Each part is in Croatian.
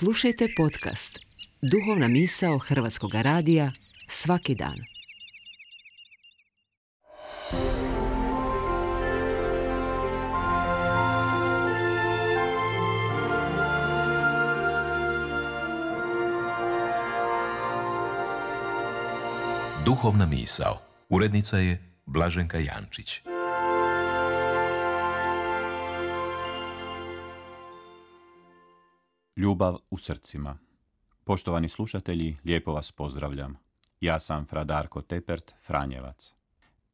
Slušajte podcast Duhovna misao Hrvatskog radija svaki dan. Duhovna misao. Urednica je Blaženka Jančić. Ljubav u srcima. Poštovani slušatelji, lijepo vas pozdravljam. Ja sam fra Darko Tepert, Franjevac.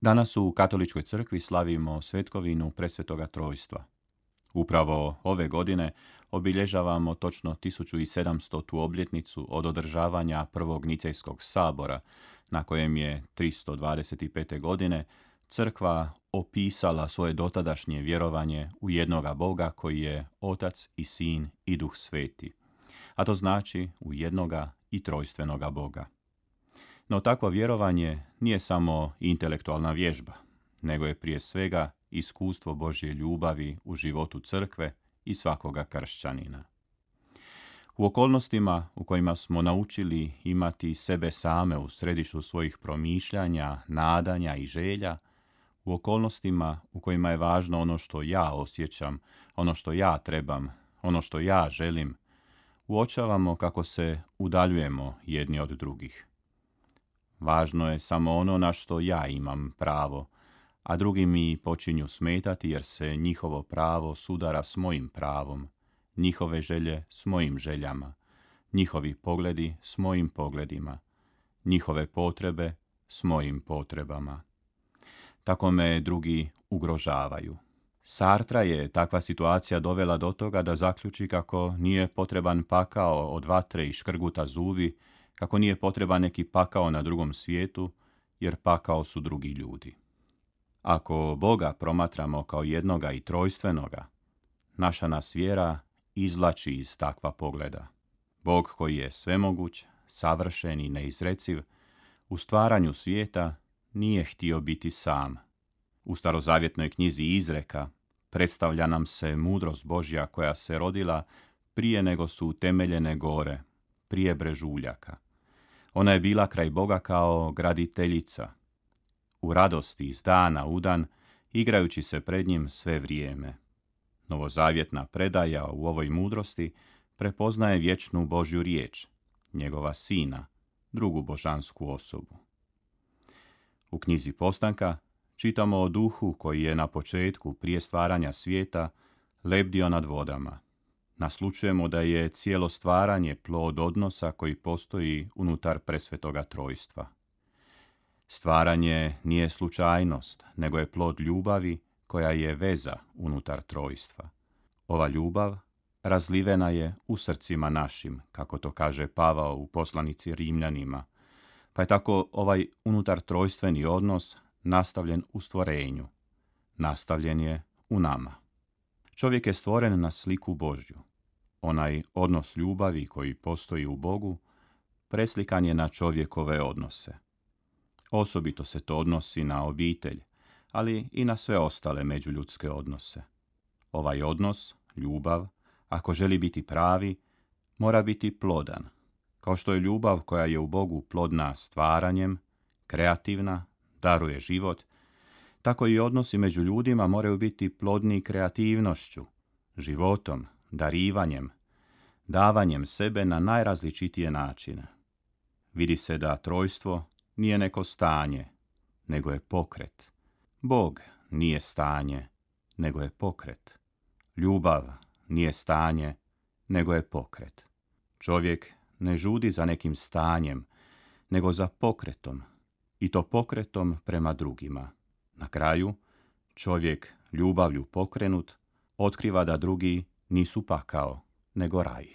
Danas u Katoličkoj crkvi slavimo svetkovinu Presvetoga Trojstva. Upravo ove godine obilježavamo točno 1700. obljetnicu od održavanja prvog Nicejskog sabora, na kojem je 325. godine crkva opisala svoje dotadašnje vjerovanje u jednoga Boga koji je Otac i Sin i Duh Sveti, a to znači u jednoga i trojstvenoga Boga. No takvo vjerovanje nije samo intelektualna vježba, nego je prije svega iskustvo Božje ljubavi u životu crkve i svakoga kršćanina. U okolnostima u kojima smo naučili imati sebe same u središtu svojih promišljanja, nadanja i želja, u okolnostima u kojima je važno ono što ja osjećam, ono što ja trebam, ono što ja želim, uočavamo kako se udaljujemo jedni od drugih. Važno je samo ono na što ja imam pravo, a drugi mi počinju smetati jer se njihovo pravo sudara s mojim pravom, njihove želje s mojim željama, njihovi pogledi s mojim pogledima, njihove potrebe s mojim potrebama. Tako me drugi ugrožavaju. Sartra je takva situacija dovela do toga da zaključi kako nije potreban pakao od vatre i škrguta zubi, kako nije potreban neki pakao na drugom svijetu, jer pakao su drugi ljudi. Ako Boga promatramo kao jednoga i trojstvenoga, naša nas vjera izvlači iz takva pogleda. Bog koji je svemoguć, savršen i neizreciv, u stvaranju svijeta nije htio biti sam. U starozavjetnoj knjizi Izreka predstavlja nam se mudrost Božja koja se rodila prije nego su utemeljene gore, prije brežuljaka. Ona je bila kraj Boga kao graditeljica, u radosti iz dana u dan, igrajući se pred njim sve vrijeme. Novozavjetna predaja u ovoj mudrosti prepoznaje vječnu Božju riječ, njegova Sina, drugu božansku osobu. U knjizi Postanka čitamo o duhu koji je na početku, prije stvaranja svijeta, lebdio nad vodama. Naslučujemo da je cijelo stvaranje plod odnosa koji postoji unutar Presvetoga Trojstva. Stvaranje nije slučajnost, nego je plod ljubavi koja je veza unutar trojstva. Ova ljubav razlivena je u srcima našim, kako to kaže Pavao u poslanici Rimljanima, pa je tako ovaj unutar trojstveni odnos nastavljen u stvorenju, nastavljen je u nama. Čovjek je stvoren na sliku Božju. Onaj odnos ljubavi koji postoji u Bogu preslikan je na čovjekove odnose. Osobito se to odnosi na obitelj, ali i na sve ostale međuljudske odnose. Ovaj odnos, ljubav, ako želi biti pravi, mora biti plodan. Kao što je ljubav koja je u Bogu plodna stvaranjem, kreativna, daruje život, tako i odnosi među ljudima moraju biti plodni kreativnošću, životom, darivanjem, davanjem sebe na najrazličitije načine. Vidi se da trojstvo nije neko stanje, nego je pokret. Bog nije stanje, nego je pokret. Ljubav nije stanje, nego je pokret. Čovjek ne žudi za nekim stanjem, nego za pokretom, i to pokretom prema drugima. Na kraju, čovjek ljubavlju pokrenut otkriva da drugi nisu pakao, nego raj.